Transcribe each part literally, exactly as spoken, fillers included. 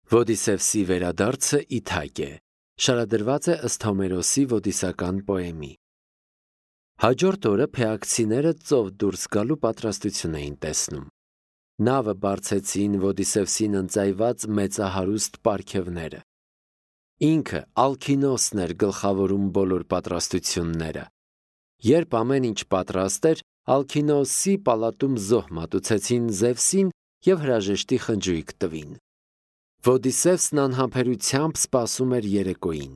Ոդիսևսի վերադարձը Իթակ է, շարադրված է ըստ Հոմերոսի ոդիսական պոեմի։ Հաջորդ օրը փեակցիները ծով դուրս գալու պատրաստություն էին տեսնում։ Նավը բարձեցին Ոդիսևսին ընծայված մեծահարուստ պարգևները։ Ինքը Ալքինոսն էր գլխավորում բոլոր պատրաստությունները։ Երբ ամեն ինչ պատրաստ էր, Ալքինոսի պալատում զոհ մատուցեցին Զևսին և հրաժեշտի խնջույք տվին։ Ոդիսևսն անհամբերությամբ սպասում էր երեկոյին։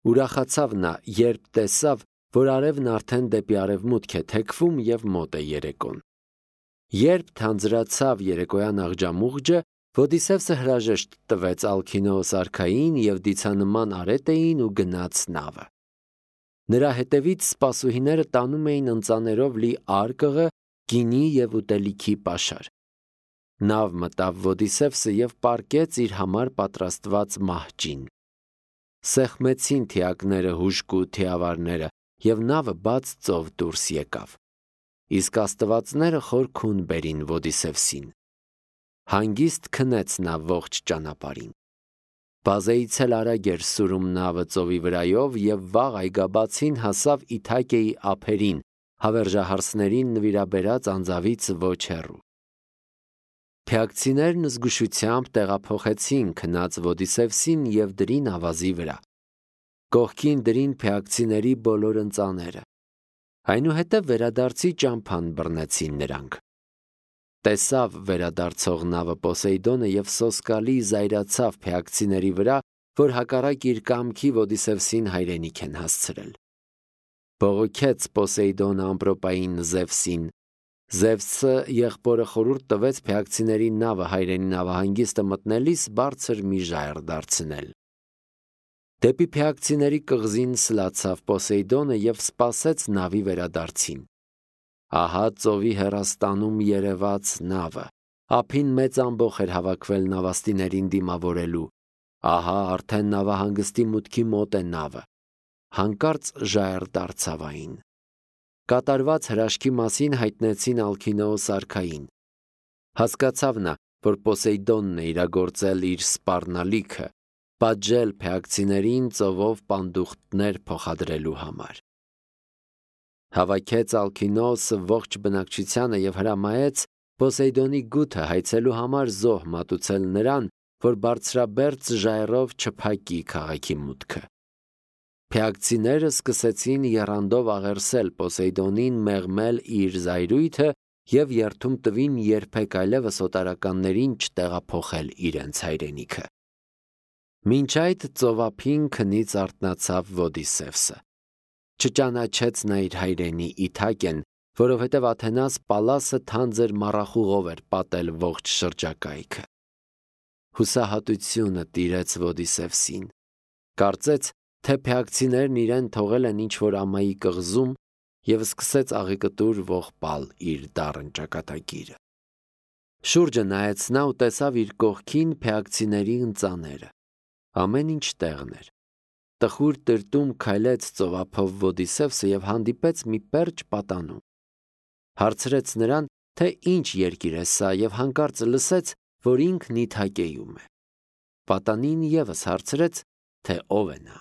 Ուրախացավ նա, երբ տեսավ, որ արևն արդեն դեպի արևմուտք է թեքվում և մոտ է երեկոն։ Երբ թանձրացավ երեկոյան աղջամուղջը, Ոդիսևսը հրաժեշտ տվեց Ալքինոս արքային և դիցանման արետեին ու գնաց նավը։ Նրա հետևից սպասուհիները տանում էին ընծաներով լի արկղը, գինի և ուտելիքի պաշար։ Նավ մտավ Ոդիսևսը և պառկեց իր համար պատրաստված մահճին։ Սեղմեցին թիակները հուժկու թիավարները, և նավը բաց ծով դուրս եկավ։ Իսկ աստվածները խոր քուն բերին Ոդիսևսին։ Հանգիստ քնեց նա ողջ ճանապարհին։ Բազեից էլ արագ էր սուրում նավը ծովի վրայով, և վաղ այգաբացին հասավ Իթակեի ափերին, հավերժահարսներին նվիրաբերած անձավից ոչ հեռու։ Փեակցիներն զգուշությամբ տեղափոխեցին քնած Ոդիսևսին և դրին ավազի վրա։ Կողքին դրին փեակցիների բոլոր ընծաները։ Այնուհետև վերադարձի ճամփան բռնեցին նրանք։ Տեսավ վերադարձող նավը Պոսեյդոնը և սոսկալի զայրացավ փեակցիների վրա, որ հակառակ իր կամքի Ոդիսևսին հայրենիք են հասցրել։ Բողոքեց Պոսեյդոնը ամպրոպային Զևսին։ Զևսը եղբորը խորհուրդ տվեց փեակցիների նավը հայրենի նավահանգիստը մտնելիս բարձր մի ժայռ դարձնել։ Դեպի փեակցիների կղզին սլացավ Պոսեյդոնը և սպասեց նավի վերադարձին։ Ահա ծովի հեռաստանում երևաց նավը։ Ափին մեծ ամբոխ էր հավաքվել նավաստիներին դիմավորելու։ Ահա արդեն նավահանգստի մուտքի մոտ է նավը։ Հանկարծ ժայռ դարձավ այն։ Կատարված հրաշքի մասին հայտնեցին Ալքինոս արքային։ Հասկացավ նա, որ Պոսեյդոնն է իրագործել իր սպառնալիքը, պատժել փեակցիներին ծովով պանդուխտներ փոխադրելու համար։ Հավաքեց Ալքինոսը ողջ բնակչությանը և հրամայեց Պոսեյդոնի գութը հայցելու համար զոհ մատուցել նրան, որ բարձրաբերձ ժայռով չփակի քաղաքի մուտքը։ Փեակցիները սկսեցին եռանդով աղերսել Պոսեյդոնին մեղմել իր զայրույթը և երդում տվին երբեք այլևս օտարականներին չտեղափոխել իրենց հայրենիքը։ Մինչ այդ ծովափին քնից արթնացավ Ոդիսևսը։ Չճանաչեց նա իր հայրենի Իթակեն, որովհետև Աթենաս Պալասը թանձր մառախուղով էր պատել ողջ շրջակայքը։ Հուսահատությունը տիրեց Ոդիսևսին։ Կարծեց, թե փեակցիներն իրեն թողել են ինչ-որ ամայի կղզում, և սկսեց աղիկտուր ողբալ իր դառն ճակատագիրը։ Շուրջը նայեց նա ու տեսավ իր կողքին փեակցիների ընծաները։ Ամեն ինչ տեղն էր։ Տխուր տրտում քայլեց ծովափով Ոդիսևսը և հանդիպեց մի պերճ պատանու։ Հարցրեց նրան, թե ինչ երկիր է սա, և հանկարծ լսեց, որ ինքն Իթակեում է։ Պատանին ևս հարցրեց, թե ով է նա։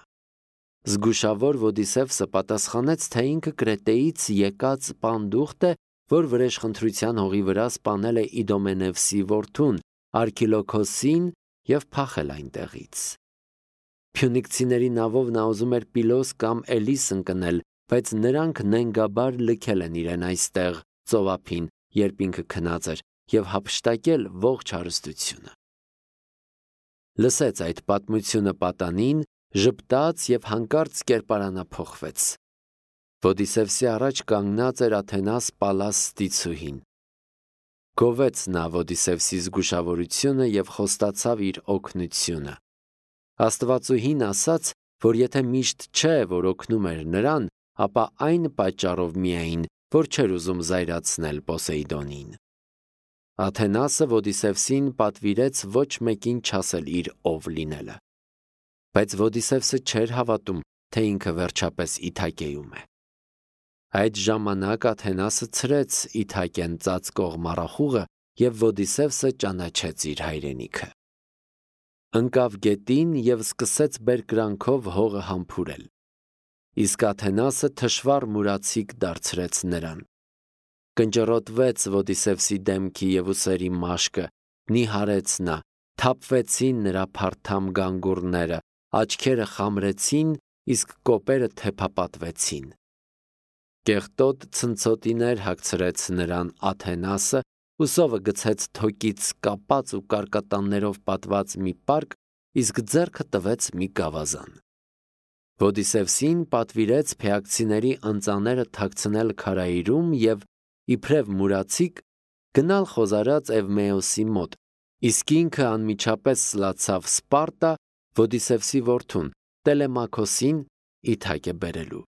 Զգուշավոր Ոդիսևսը պատասխանեց, թե ինքը Կրետեից եկած պանդուխտ է, որ վրեժխնդրության հողի վրա սպանել է Իդոմենևսի որդուն Արքիլոքոսին և փախել այնտեղից։ Փյունիկցիների նավով նա ուզում էր Պիլոս կամ Էլիս ընկնել, բայց նրանք նենգաբար լքել են իրեն այստեղ ծովափին, երբ ինքը քնած էր, և հափշտակել ողջ հարստությունը։ Լսեց այդ պատմությունը պատանին, ժպտաց և հանկարծ կերպարանափոխվեց։ Ոդիսևսի առաջ կանգնած էր Աթենաս Պալաս ստիցուհին։ Գովեց նա Ոդիսևսի զգուշավորությունը և խոստացավ իր օգնությունը։ Աստվածուհին ասաց, որ եթե միշտ չէ, որ օգնում էր նրան, ապա այն պատճառով միայն, որ չէր ուզում զայրացնել Պոսեյդոնին։ Աթենասը Ոդիսևսին պատվիրեց ոչ մեկին չասել իր ով լինելը։ Բայց Ոդիսևսը չէր հավատում, թե ինքը վերջապես Իթակեում է։ Այդ ժամանակ Աթենասը ցրեց Իթակեն ծածկող մառախուղը, և Ոդիսևսը ճանաչեց իր հայրենիքը։ ընկավ գետին և սկսեց բերկրանքով հողը համբուրել։ Իսկ Աթենասը թշվառ մուրացիկ դարձրեց նրան։ Կնճռոտվեց Ոդիսևսի դեմքի և ուսերի մաշկը, նիհարեց նա, թափվեցին նրա փարթամ գանգուրները, աչքերը խամրեցին, իսկ կոպերը թեփապատվեցին։ Կեղտոտ ցնցոտիներ հագցրեց նրան Աթենասը, ուսովը գցեց թոկից կապած ու կարկատաններով պատված մի պարկ, իսկ ձեռքը տվեց մի գավազան։ Ոդիսևսին պատվիրեց փեակցիների ընծաները թաքցնել քարայրում և, իբրև մուրացիկ, գնալ խոզարած Էվմեոսի մոտ, իսկ ինքը անմիջապես սլացավ Սպարտա Ոդիսևսի որդուն՝ Տելեմաքոսին, Իթակե բերելու։